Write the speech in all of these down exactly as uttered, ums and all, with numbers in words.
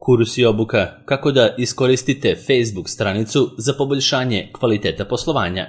Kurs i obuka kako da iskoristite Facebook stranicu za poboljšanje kvaliteta poslovanja.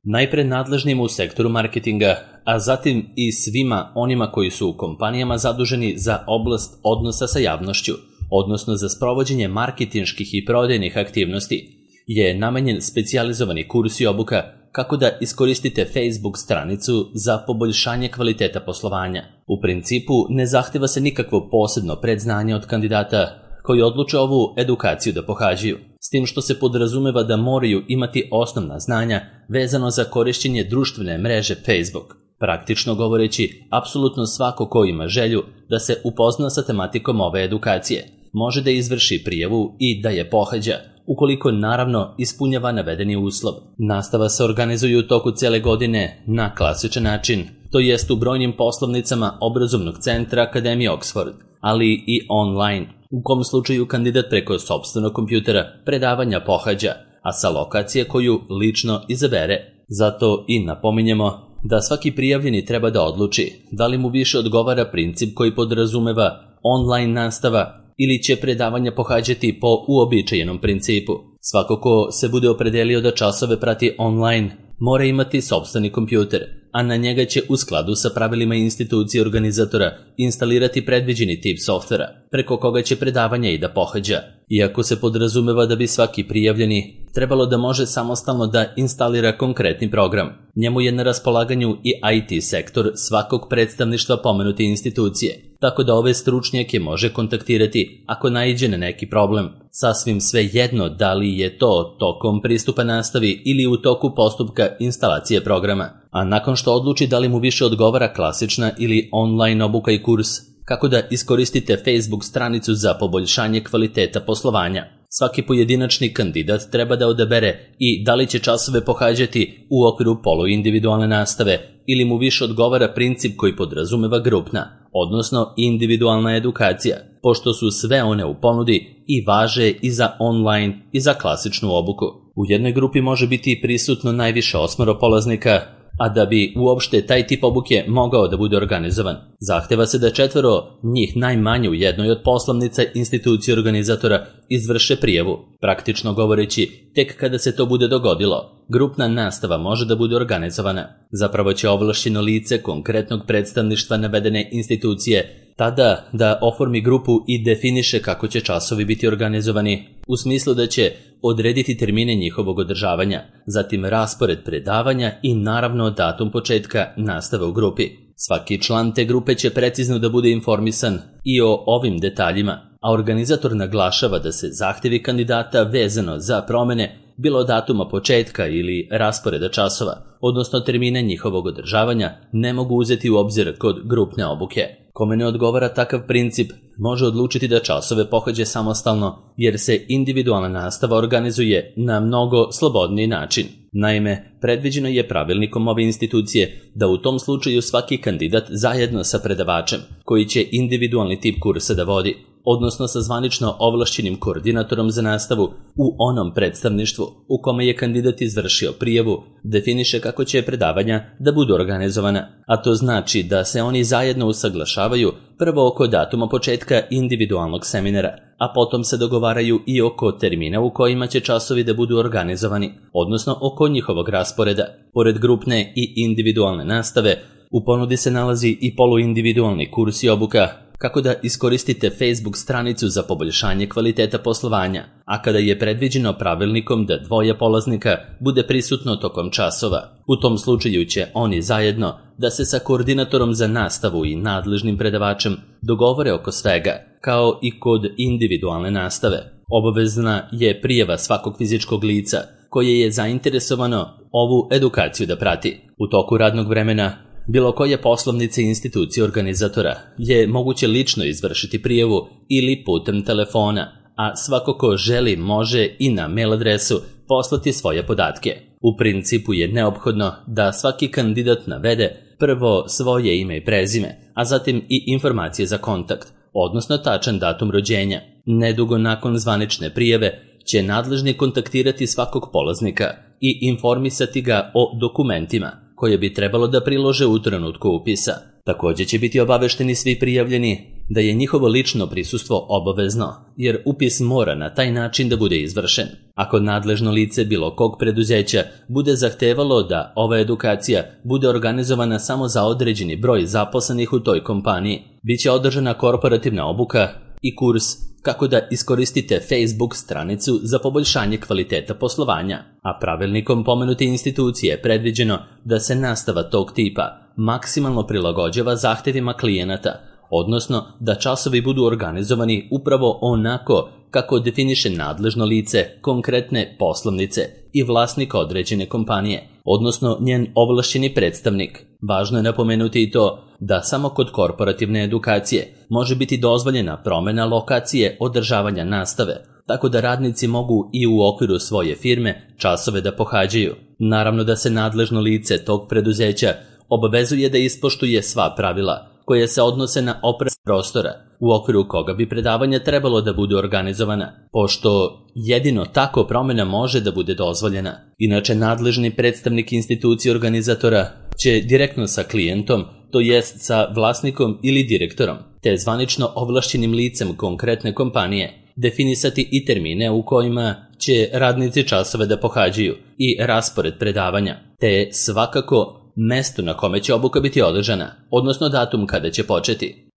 Najpre nadležnima u sektoru marketinga, a zatim i svima onima koji su u kompanijama zaduženi za oblast odnosa sa javnošću, odnosno za sprovođenje marketinških i prodajnih aktivnosti, je namenjen specijalizovani kurs i obuka kako da iskoristite Facebook stranicu za poboljšanje kvaliteta poslovanja. U principu ne zahteva se nikakvo posebno predznanje od kandidata koji odluče ovu edukaciju da pohađaju, s tim što se podrazumeva da moraju imati osnovna znanja vezano za korišćenje društvene mreže Facebook. Praktično govoreći, apsolutno svako ko ima želju da se upozna sa tematikom ove edukacije može da izvrši prijavu i da je pohađa, ukoliko naravno ispunjava navedeni uslov. Nastava se organizuje u toku cele godine na klasičan način, to jest u brojnim poslovnicama obrazovnog centra Akademije Oxford, ali i online, u kom slučaju kandidat preko sopstvenog kompjutera predavanja pohađa, a sa lokacije koju lično izabere. Zato i napominjemo da svaki prijavljeni treba da odluči da li mu više odgovara princip koji podrazumeva online nastava ili će predavanja pohađati po uobičajenom principu. Svako ko se bude opredelio da časove prati online mora imati sopstveni kompjuter, a na njega će u skladu sa pravilima institucije organizatora instalirati predviđeni tip softvera, preko koga će predavanja i da pohađa. Iako se podrazumeva da bi svaki prijavljeni trebalo da može samostalno da instalira konkretni program, njemu je na raspolaganju i I T sektor svakog predstavništva pomenute institucije, tako da ove stručnjake može kontaktirati ako naiđe na neki problem. Sasvim sve jedno da li je to tokom pristupa nastavi ili u toku postupka instalacije programa. A nakon što odluči da li mu više odgovara klasična ili online obuka i kurs, kako da iskoristite Facebook stranicu za poboljšanje kvaliteta poslovanja, svaki pojedinačni kandidat treba da odabere i da li će časove pohađati u okviru poluindividualne nastave ili mu više odgovara princip koji podrazumeva grupna, odnosno individualna edukacija, pošto su sve one u ponudi i važe i za online i za klasičnu obuku. U jednoj grupi može biti prisutno najviše osmoro polaznika, a da bi uopšte taj tip obuke mogao da bude organizovan, zahteva se da četvoro njih najmanje u jednoj od poslovnica institucije organizatora izvrše prijavu. Praktično govoreći, tek kada se to bude dogodilo, grupna nastava može da bude organizovana. Zapravo će ovlašćeno lice konkretnog predstavništva navedene institucije tada da oformi grupu i definiše kako će časovi biti organizovani, u smislu da će odrediti termine njihovog održavanja, zatim raspored predavanja i naravno datum početka nastave u grupi. Svaki član te grupe će precizno da bude informisan i o ovim detaljima, a organizator naglašava da se zahtjevi kandidata vezano za promene bilo datuma početka ili rasporeda časova, odnosno termine njihovog održavanja, ne mogu uzeti u obzir kod grupne obuke. Kome ne odgovara takav princip, može odlučiti da časove pohađa samostalno, jer se individualna nastava organizuje na mnogo slobodniji način. Naime, predviđeno je pravilnikom ove institucije da u tom slučaju svaki kandidat zajedno sa predavačem, koji će individualni tip kursa da vodi, odnosno sa zvanično ovlašćenim koordinatorom za nastavu u onom predstavništvu u kome je kandidat izvršio prijavu, definiše kako će predavanja da budu organizovana, a to znači da se oni zajedno usaglašavaju prvo oko datuma početka individualnog seminara, a potom se dogovaraju i oko termina u kojima će časovi da budu organizovani, odnosno oko njihovog rasporeda. Pored grupne i individualne nastave, u ponudi se nalazi i poluindividualni kurs i obuka kako da iskoristite Facebook stranicu za poboljšanje kvaliteta poslovanja, a kada je predviđeno pravilnikom da dvoje polaznika bude prisutno tokom časova. U tom slučaju će oni zajedno da se sa koordinatorom za nastavu i nadležnim predavačem dogovore oko svega, kao i kod individualne nastave. Obavezna je prijava svakog fizičkog lica koje je zainteresovano ovu edukaciju da prati. U toku radnog vremena bilo koje poslovnice i institucije organizatora je moguće lično izvršiti prijavu ili putem telefona, a svako ko želi može i na mail adresu poslati svoje podatke. U principu je neophodno da svaki kandidat navede prvo svoje ime i prezime, a zatim i informacije za kontakt, odnosno tačan datum rođenja. Nedugo nakon zvanične prijave će nadležni kontaktirati svakog polaznika i informisati ga o dokumentima koje bi trebalo da prilože u trenutku upisa. Također će biti obavešteni svi prijavljeni da je njihovo lično prisustvo obavezno, jer upis mora na taj način da bude izvršen. Ako nadležno lice bilo kog preduzeća bude zahtevalo da ova edukacija bude organizovana samo za određeni broj zaposlenih u toj kompaniji, bit će održana korporativna obuka i kurs kako da iskoristite Facebook stranicu za poboljšanje kvaliteta poslovanja, a pravilnikom pomenute institucije je predviđeno da se nastava tog tipa maksimalno prilagođava zahtevima klijenata, odnosno da časovi budu organizovani upravo onako kako definiše nadležno lice konkretne poslovnice i vlasnik određene kompanije, odnosno njen ovlašćeni predstavnik. Važno je napomenuti i to da samo kod korporativne edukacije može biti dozvoljena promjena lokacije održavanja nastave, tako da radnici mogu i u okviru svoje firme časove da pohađaju. Naravno da se nadležno lice tog preduzeća obavezuje da ispoštuje sva pravila koje se odnose na opremu prostora u okviru koga bi predavanja trebalo da bude organizovana, pošto jedino tako promjena može da bude dozvoljena. Inače, nadležni predstavnik institucije organizatora će direktno sa klijentom, to jest sa vlasnikom ili direktorom, te zvanično ovlašćenim licem konkretne kompanije, definisati i termine u kojima će radnici časove da pohađaju i raspored predavanja, te svakako mesto na kome će obuka biti održana, odnosno datum kada će početi.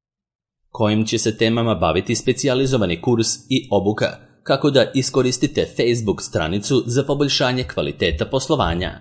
Kojim će se temama baviti specijalizovani kurs i obuka, kako da iskoristite Facebook stranicu za poboljšanje kvaliteta poslovanja.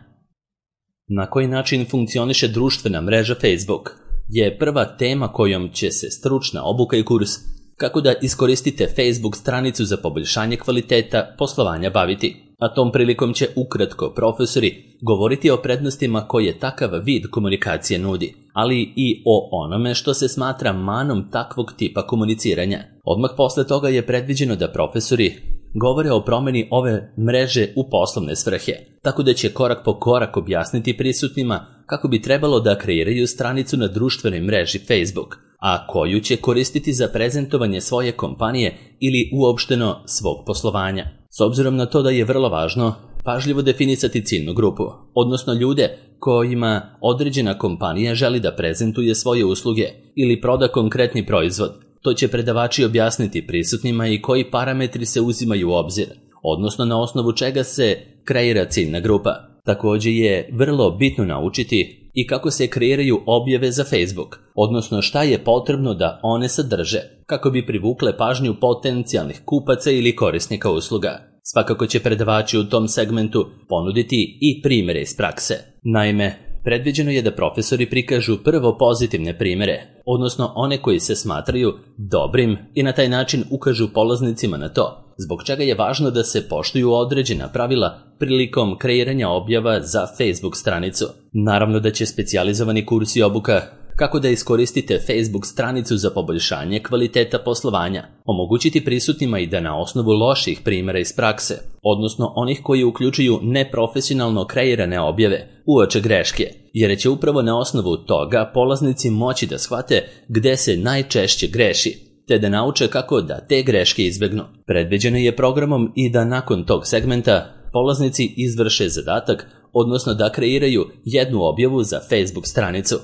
Na koji način funkcioniše društvena mreža Facebook je prva tema kojom će se stručna obuka i kurs kako da iskoristite Facebook stranicu za poboljšanje kvaliteta poslovanja baviti. A tom prilikom će ukratko profesori govoriti o prednostima koje takav vid komunikacije nudi, ali i o onome što se smatra manom takvog tipa komuniciranja. Odmah posle toga je predviđeno da profesori govore o promjeni ove mreže u poslovne svrhe, tako da će korak po korak objasniti prisutnima kako bi trebalo da kreiraju stranicu na društvenoj mreži Facebook, a koju će koristiti za prezentovanje svoje kompanije ili uopšteno svog poslovanja. S obzirom na to da je vrlo važno pažljivo definisati ciljnu grupu, odnosno ljude kojima određena kompanija želi da prezentuje svoje usluge ili proda konkretni proizvod, to će predavači objasniti prisutnima i koji parametri se uzimaju u obzir, odnosno na osnovu čega se kreira ciljna grupa. Također je vrlo bitno naučiti i kako se kreiraju objave za Facebook, odnosno šta je potrebno da one sadrže, kako bi privukle pažnju potencijalnih kupaca ili korisnika usluga. Svakako će predavači u tom segmentu ponuditi i primjere iz prakse. Naime, predviđeno je da profesori prikažu prvo pozitivne primjere, odnosno one koji se smatraju dobrim i na taj način ukažu polaznicima na to, zbog čega je važno da se poštuju određena pravila prilikom kreiranja objava za Facebook stranicu. Naravno da će specijalizovani kurs i obuka kako da iskoristite Facebook stranicu za poboljšanje kvaliteta poslovanja omogućiti prisutnima i da na osnovu loših primjera iz prakse, odnosno onih koji uključuju neprofesionalno kreirane objave, uoče greške, jer će upravo na osnovu toga polaznici moći da shvate gde se najčešće greši, te da nauče kako da te greške izbegnu. Predviđeno je programom i da nakon tog segmenta polaznici izvrše zadatak, odnosno da kreiraju jednu objavu za Facebook stranicu,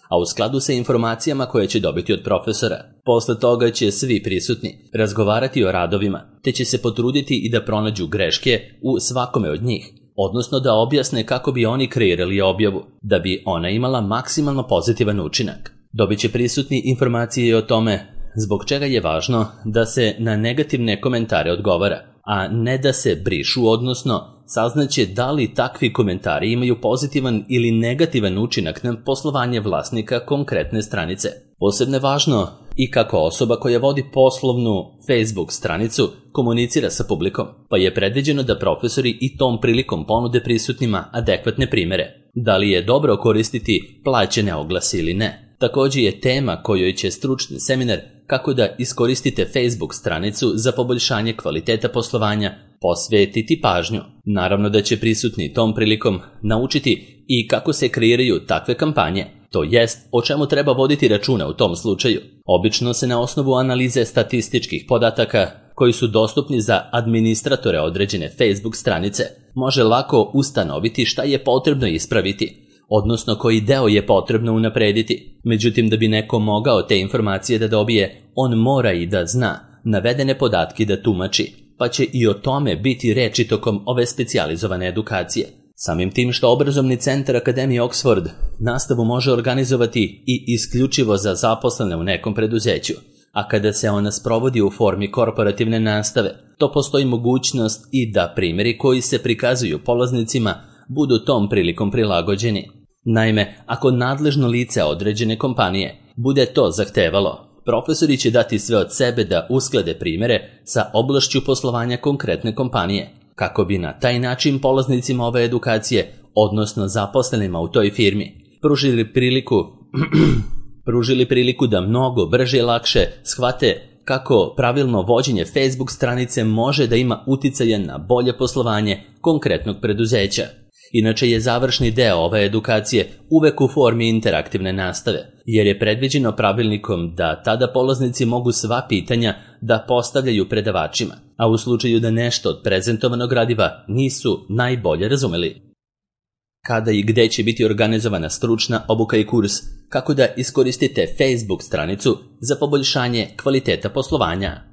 a u skladu sa informacijama koje će dobiti od profesora. Posle toga će svi prisutni razgovarati o radovima, te će se potruditi i da pronađu greške u svakome od njih, odnosno da objasne kako bi oni kreirali objavu, da bi ona imala maksimalno pozitivan učinak. Dobit će prisutni informacije o tome zbog čega je važno da se na negativne komentare odgovara, a ne da se brišu, odnosno saznaće da li takvi komentari imaju pozitivan ili negativan učinak na poslovanje vlasnika konkretne stranice. Posebno je važno i kako osoba koja vodi poslovnu Facebook stranicu komunicira sa publikom, pa je predviđeno da profesori i tom prilikom ponude prisutnima adekvatne primjere. Da li je dobro koristiti plaćene oglase ili ne? Također je tema kojoj će stručni seminar kako da iskoristite Facebook stranicu za poboljšanje kvaliteta poslovanja posvetiti pažnju. Naravno da će prisutni tom prilikom naučiti i kako se kreiraju takve kampanje, to jest o čemu treba voditi računa u tom slučaju. Obično se na osnovu analize statističkih podataka koji su dostupni za administratore određene Facebook stranice može lako ustanoviti šta je potrebno ispraviti, odnosno koji deo je potrebno unaprediti. Međutim, da bi neko mogao te informacije da dobije, on mora i da zna navedene podatke da tumači, pa će i o tome biti reči tokom ove specijalizovane edukacije. Samim tim što obrazovni centar Akademije Oxford nastavu može organizovati i isključivo za zaposlene u nekom preduzeću, a kada se ona sprovodi u formi korporativne nastave, to postoji mogućnost i da primjeri koji se prikazuju polaznicima budu tom prilikom prilagođeni. Naime, ako nadležno lice određene kompanije bude to zahtevalo, profesori će dati sve od sebe da usklade primjere sa oblašću poslovanja konkretne kompanije, kako bi na taj način polaznicima ove edukacije, odnosno zaposlenima u toj firmi, pružili priliku, pružili priliku da mnogo brže i lakše shvate kako pravilno vođenje Facebook stranice može da ima uticaja na bolje poslovanje konkretnog preduzeća. Inače je završni deo ove edukacije uvek u formi interaktivne nastave, jer je predviđeno pravilnikom da tada polaznici mogu sva pitanja da postavljaju predavačima, a u slučaju da nešto od prezentovanog gradiva nisu najbolje razumeli. Kada i gde će biti organizovana stručna obuka i kurs, kako da iskoristite Facebook stranicu za poboljšanje kvaliteta poslovanja.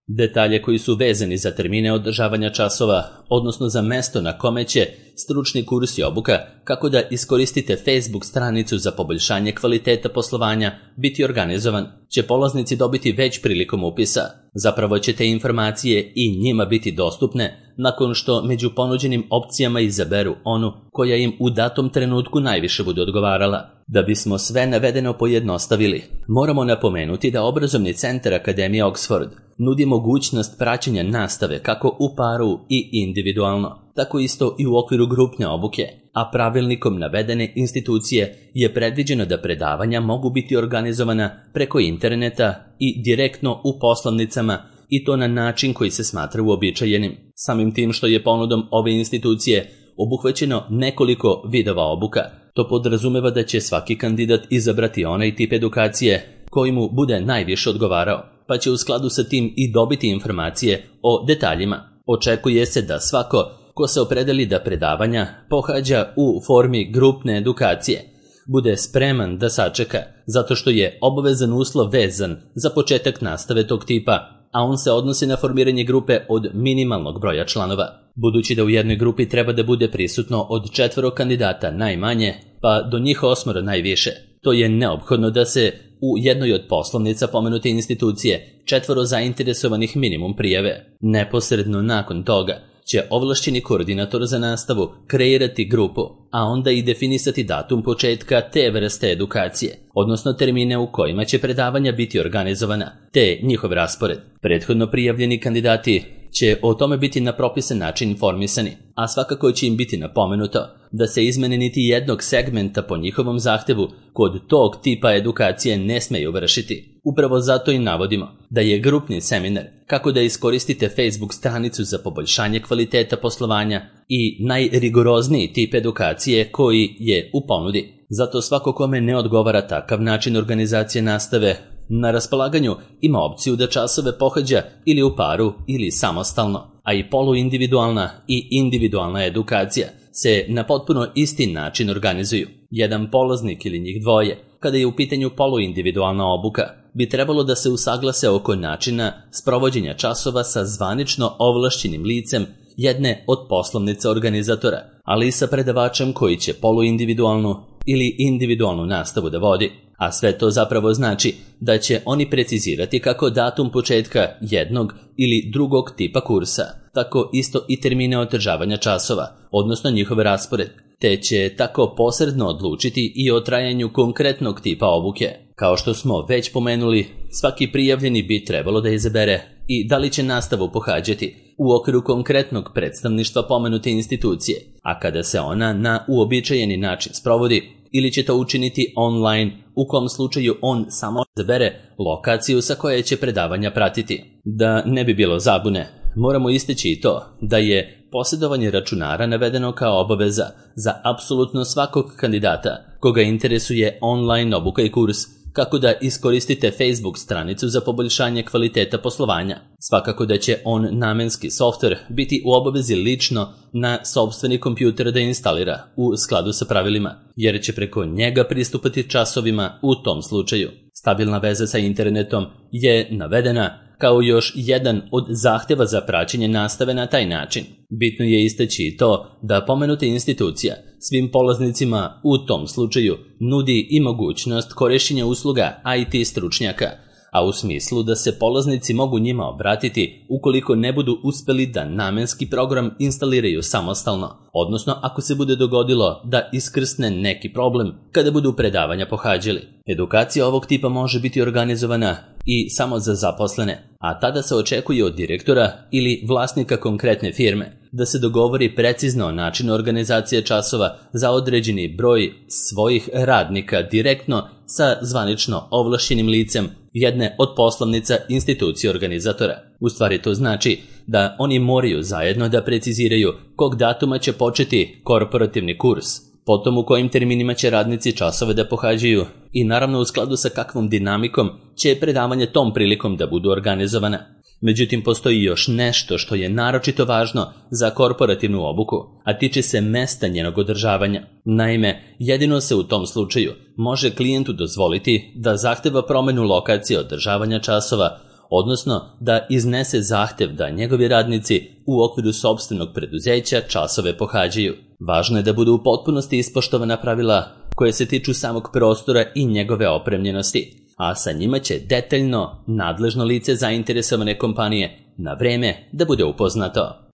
Detalje koji su vezani za termine održavanja časova, odnosno za mesto na kome će stručni kurs i obuka kako da iskoristite Facebook stranicu za poboljšanje kvaliteta poslovanja biti organizovan, će polaznici dobiti već prilikom upisa. Zapravo će te informacije i njima biti dostupne nakon što među ponuđenim opcijama izaberu onu koja im u datom trenutku najviše bude odgovarala. Da bismo sve navedeno pojednostavili, moramo napomenuti da obrazovni centar Akademije Oxford nudi mogućnost praćenja nastave kako u paru i individualno, tako isto i u okviru grupne obuke, a pravilnikom navedene institucije je predviđeno da predavanja mogu biti organizovana preko interneta i direktno u poslovnicama, i to na način koji se smatra uobičajenim. Samim tim što je ponudom ove institucije obuhvaćeno nekoliko vidova obuka, to podrazumeva da će svaki kandidat izabrati onaj tip edukacije koji mu bude najviše odgovarao, pa će u skladu sa tim i dobiti informacije o detaljima. Očekuje se da svako ko se opredeli da predavanja pohađa u formi grupne edukacije bude spreman da sačeka, zato što je obavezan uslov vezan za početak nastave tog tipa, a on se odnosi na formiranje grupe od minimalnog broja članova. Budući da u jednoj grupi treba da bude prisutno od četvoro kandidata najmanje, pa do njih osmoro najviše, to je neophodno da se u jednoj od poslovnica pomenute institucije četvoro zainteresovanih minimum prijave. Neposredno nakon toga će ovlašćeni koordinator za nastavu kreirati grupu, a onda i definisati datum početka te vrste edukacije, odnosno termine u kojima će predavanja biti organizovana, te njihov raspored. Prethodno prijavljeni kandidati će o tome biti na propisan način informisani, a svakako će im biti napomenuto da se izmene niti jednog segmenta po njihovom zahtevu kod tog tipa edukacije ne smeju vršiti. Upravo zato i navodimo da je grupni seminar kako da iskoristite Facebook stranicu za poboljšanje kvaliteta poslovanja i najrigorozniji tip edukacije koji je u ponudi. Zato svako kome ne odgovara takav način organizacije nastave, na raspolaganju ima opciju da časove pohađa ili u paru ili samostalno, a i poluindividualna i individualna edukacija se na potpuno isti način organizuju. Jedan polaznik ili njih dvoje, kada je u pitanju poluindividualna obuka, bi trebalo da se usaglase oko načina sprovođenja časova sa zvanično ovlašćenim licem jedne od poslovnica organizatora, ali i sa predavačem koji će poluindividualnu ili individualnu nastavu da vodi. A sve to zapravo znači da će oni precizirati kako datum početka jednog ili drugog tipa kursa, tako isto i termine održavanja časova, odnosno njihov raspored, te će tako posredno odlučiti i o trajanju konkretnog tipa obuke. Kao što smo već pomenuli, svaki prijavljeni bi trebalo da izabere i da li će nastavu pohađati u okviru konkretnog predstavništva pomenute institucije, a kada se ona na uobičajeni način sprovodi, ili će to učiniti online, u kom slučaju on samo izabere lokaciju sa koje će predavanja pratiti. Da ne bi bilo zabune, moramo istaći i to da je posjedovanje računara navedeno kao obaveza za apsolutno svakog kandidata koga interesuje online obuka i kurs kako da iskoristite Facebook stranicu za poboljšanje kvaliteta poslovanja. Svakako da će on namenski softver biti u obavezi lično na sopstveni kompjuter da instalira u skladu sa pravilima, jer će preko njega pristupati časovima u tom slučaju. Stabilna veza sa internetom je navedena kao još jedan od zahteva za praćenje nastave na taj način. Bitno je istaći i to da pomenuta institucija svim polaznicima u tom slučaju nudi i mogućnost korišćenja usluga I T stručnjaka, a u smislu da se polaznici mogu njima obratiti ukoliko ne budu uspeli da namenski program instaliraju samostalno, odnosno ako se bude dogodilo da iskrsne neki problem kada budu predavanja pohađali. Edukacija ovog tipa može biti organizovana i samo za zaposlene, a tada se očekuje od direktora ili vlasnika konkretne firme da se dogovori precizno o načinu organizacije časova za određeni broj svojih radnika direktno sa zvanično ovlašćenim licem jedne od poslovnica institucije organizatora. U stvari to znači da oni moraju zajedno da preciziraju kog datuma će početi korporativni kurs, potom u kojim terminima će radnici časove da pohađaju i naravno u skladu sa kakvom dinamikom će predavanje tom prilikom da budu organizovana. Međutim, postoji još nešto što je naročito važno za korporativnu obuku, a tiče se mesta njenog održavanja. Naime, jedino se u tom slučaju može klijentu dozvoliti da zahteva promenu lokacije održavanja časova, odnosno da iznese zahtev da njegovi radnici u okviru sopstvenog preduzeća časove pohađaju. Važno je da budu u potpunosti ispoštovana pravila koje se tiču samog prostora i njegove opremljenosti, a sa njima će detaljno nadležno lice zainteresovane kompanije na vreme da bude upoznato.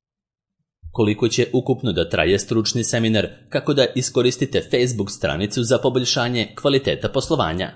Koliko će ukupno da traje stručni seminar kako da iskoristite Facebook stranicu za poboljšanje kvaliteta poslovanja?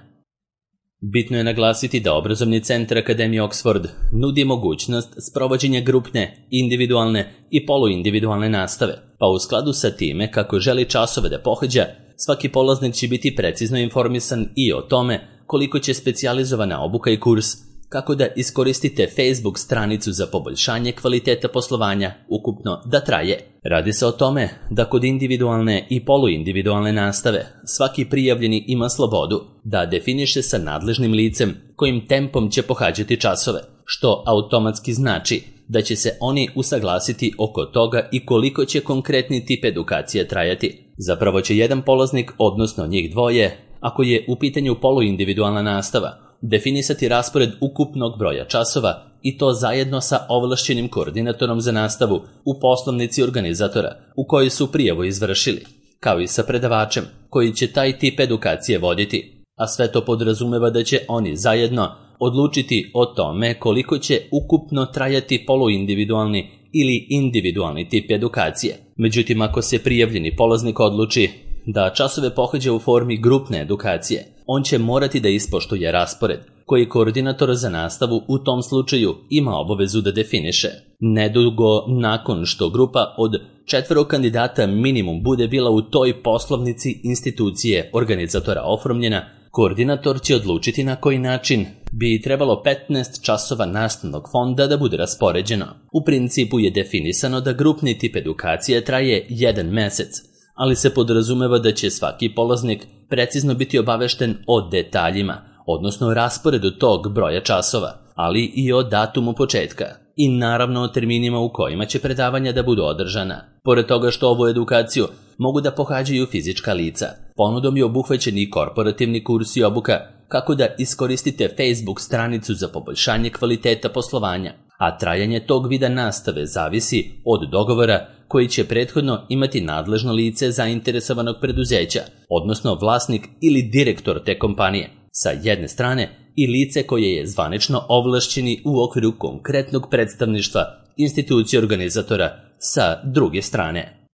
Bitno je naglasiti da obrazovni centar Akademije Oxford nudi mogućnost sprovođenja grupne, individualne i poluindividualne nastave, pa u skladu sa time kako želi časove da pohađa, svaki polaznik će biti precizno informisan i o tome koliko će specijalizovana obuka i kurs kako da iskoristite Facebook stranicu za poboljšanje kvaliteta poslovanja ukupno da traje. Radi se o tome da kod individualne i poluindividualne nastave svaki prijavljeni ima slobodu da definiše sa nadležnim licem kojim tempom će pohađati časove, što automatski znači da će se oni usaglasiti oko toga i koliko će konkretni tip edukacije trajati. Zapravo će jedan polaznik, odnosno njih dvoje, ako je u pitanju poluindividualna nastava, definisati raspored ukupnog broja časova i to zajedno sa ovlašćenim koordinatorom za nastavu u poslovnici organizatora u kojoj su prijavu izvršili, kao i sa predavačem koji će taj tip edukacije voditi, a sve to podrazumeva da će oni zajedno odlučiti o tome koliko će ukupno trajati poluindividualni ili individualni tip edukacije. Međutim, ako se prijavljeni polaznik odluči da časove pohađa u formi grupne edukacije, on će morati da ispoštuje raspored koji koordinator za nastavu u tom slučaju ima obavezu da definiše. Nedugo nakon što grupa od četvoro kandidata minimum bude bila u toj poslovnici institucije organizatora oformljena, koordinator će odlučiti na koji način bi trebalo petnaest časova nastavnog fonda da bude raspoređeno. U principu je definisano da grupni tip edukacije traje jedan mesec, ali se podrazumeva da će svaki polaznik precizno biti obavešten o detaljima, odnosno rasporedu tog broja časova, ali i o datumu početka i naravno o terminima u kojima će predavanja da budu održana. Pored toga što ovu edukaciju mogu da pohađaju fizička lica, ponudom je obuhvaćen i korporativni kurs i obuka kako da iskoristite Facebook stranicu za poboljšanje kvaliteta poslovanja, a trajanje tog vida nastave zavisi od dogovora koji će prethodno imati nadležno lice zainteresovanog preduzeća, odnosno vlasnik ili direktor te kompanije, sa jedne strane, i lice koje je zvanično ovlašćeni u okviru konkretnog predstavništva institucije organizatora sa druge strane.